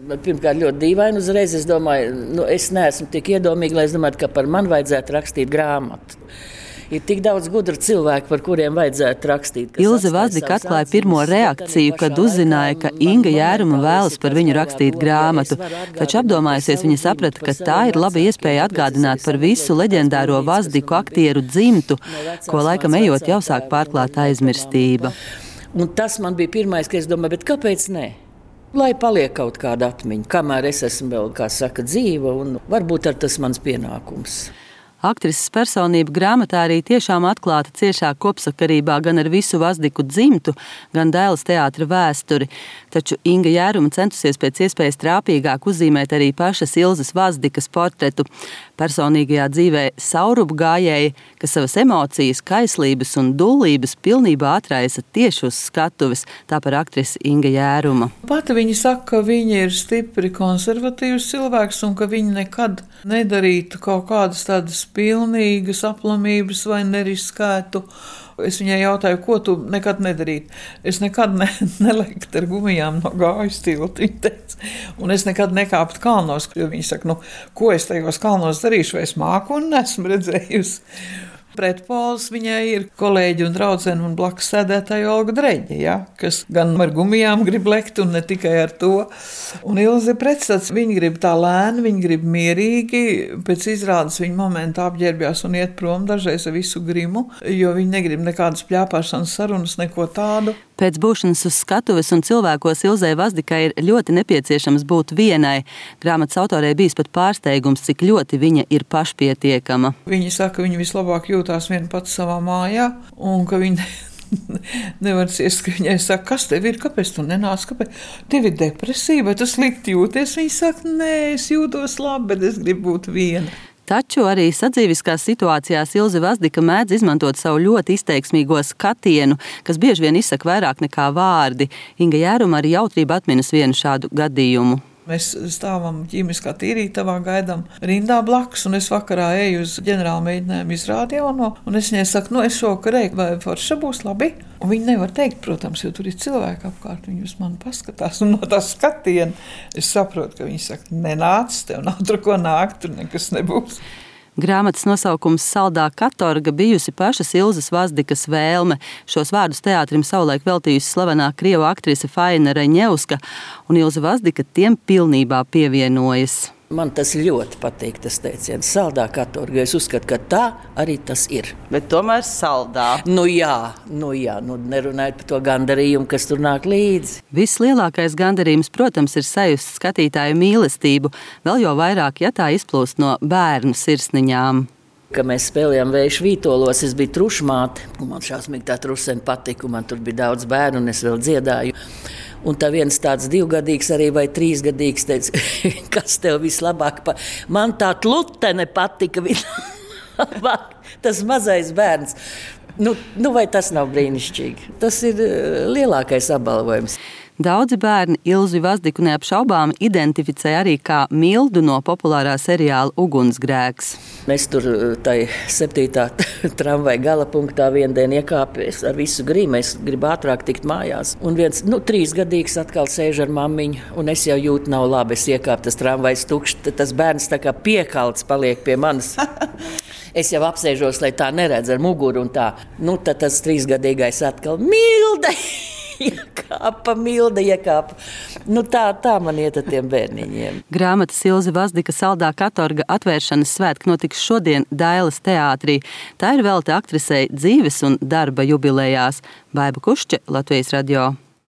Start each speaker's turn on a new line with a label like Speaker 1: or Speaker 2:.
Speaker 1: Pirmkārt, ļoti dīvaini uzreiz. Es domāju, es neesmu tik iedomīga, lai es domāju, ka par mani vajadzētu rakstīt grāmatu. Ir tik daudz gudru cilvēku, par kuriem vajadzētu rakstīt.
Speaker 2: Ilze Vazdika atklāja pirmo reakciju, kad uzzināja, ka Inga Jēruma vēlas par viņu rakstīt grāmatu. Taču apdomājusies, viņa saprata, ka tā ir laba iespēja atgādināt par visu leģendāro Vazdiku aktieru dzimtu, ko laikam ejot jau sāk pārklāt aizmirstība.
Speaker 1: Un tas man bija pirmais, ka es domāju, bet kāpēc ne? Lai paliek kaut kāda atmiņa, kamēr es esmu vēl, kā saka, dzīva, un varbūt ar tas mans pienākums.
Speaker 2: Aktrises personība grāmatā arī tiešām atklāta ciešā kopsakarībā gan ar visu Vazdiku dzimtu, gan Dailes teātra vēsturi. Taču Inga Jēruma centusies pēc iespējas trāpīgāk uzzīmēt arī pašas Ilzes Vazdikas portretu. Personīgajā dzīvē saurupu gājēji, kas savas emocijas, kaislības un dullības pilnībā atraisa tieši uz skatuves, tā par aktrisi Inga Jēruma.
Speaker 3: Pati viņa saka, ka viņa ir stipri konservatīvs cilvēks un ka viņa nekad nedarītu kaut kādas tādas pilnīgas aplamības vai neriskētu. Es viņai jautāju, ko tu nekad nedarītu. Es nekad nelektu ar gumijām no gājas tilta, viņa teica. Un es nekad nekāptu kalnos, jo viņa saka, ko es tajos kalnos darīšu, vai es māku un nesmu redzējusi. Pretpols viņai ir kolēģi un draudzene un blakus sēdētāja Olga Dreģe, ja, kas gan ar gumijām grib lekt un ne tikai ar to. Un Ilze pretstats, viņa grib tā lēni, viņa grib mierīgi, pēc izrādes viņa momentā apģērbjās un iet prom dažreiz ar visu grimu, jo viņa negrib nekādas pļāpāšanas sarunas, neko tādu.
Speaker 2: Pēc būšanas uz skatuves un cilvēkos Ilzei Vazdikai ir ļoti nepieciešams būt vienai. Grāmatas autorei bijis pat pārsteigums, cik ļoti viņa ir pašpietiekama.
Speaker 3: Viņa saka, ka viņa vislabāk jūtās viena pats savā mājā un ka viņa nevar ciest, ka viņai saka, kas tev ir, kāpēc tu nenāc, kāpēc? Tev ir depresija, vai tu slikti jūties? Viņa saka, nē, es jūtos labi, bet es gribu būt viena.
Speaker 2: Taču arī sadzīviskās situācijās Ilze Vazdika mēdz izmantot savu ļoti izteiksmīgo skatienu, kas bieži vien izsaka vairāk nekā vārdi. Inga Jēruma arī jautrība atminas vienu šādu gadījumu.
Speaker 3: Mēs stāvam ķīmiskā tīrītavā, gaidām rindā blakus, un es vakarā eju uz ģenerāla mēģinājumu izrādi jauno, un es viņai saku, es šokar eju, vai forša būs labi? Un viņi nevar teikt, protams, jo tur ir cilvēki apkārt, viņi uz mani paskatās, un no tā skatiena es saprotu, ka viņi saka, nenāc, tev nav tur ko nākt, tur nekas nebūs.
Speaker 2: Grāmatas nosaukums Saldā katorga bijusi pašas Ilzes Vazdikas vēlme. Šos vārdus teātrim savulaik veltījusi slavenā krievu aktrise Faina Reņevska, un Ilze Vazdika tiem pilnībā pievienojas.
Speaker 1: Man tas ļoti patīk, tas teiciens, saldā katorga. Es uzskatu, ka tā arī tas ir.
Speaker 4: Bet tomēr saldā.
Speaker 1: Jā, nerunājot par to gandarījumu, kas tur nāk līdzi.
Speaker 2: Vislielākais gandarījums, protams, ir sajust skatītāju mīlestību, vēl jau vairāk, ja tā izplūst no bērnu sirsniņām.
Speaker 1: Kad mēs spēlējām Vēju Vītolos, es biju trušmāte, un man šausmīgi tā trusene patika, un man tur bija daudz bērnu, un es vēl dziedāju. Un tā viens tāds 2-gadīgs arī vai 3-gadīgs teica, kas tev vislabāk man tā tlutene patika vislabāk, tas mazais bērns. Vai tas nav brīnišķīgi? Tas ir lielākais apbalvojums.
Speaker 2: Daudzi bērni Ilzi Vazdiku neapšaubām identificē arī kā Mildu no populārā seriāla Ugunsgrēks.
Speaker 1: Es tur tai 7. tramvaja galapunktā viendien iekāpies ar visu grimu. Es gribu ātrāk tikt mājās. Un viens 3-gadīgs atkal sēž ar mammiņu, un es jau jūtu nav labi. Es iekāpu, tas tramvajs tukšs, tas bērns tā kā piekalts paliek pie manis. Es jau apsēžos, lai tā neredz ar muguru un tā. Tad tas 3-gadīgais atkal Milda! Milda iekāpa. Tā man iet ar tiem bērniņiem.
Speaker 2: Grāmatas Ilze Vazdika Saldā katorga atvēršanas svētki notiks šodien Dailes teātrī. Tā ir velta aktrisei dzīves un darba jubilejās. Baiba Kušķe, Latvijas radio.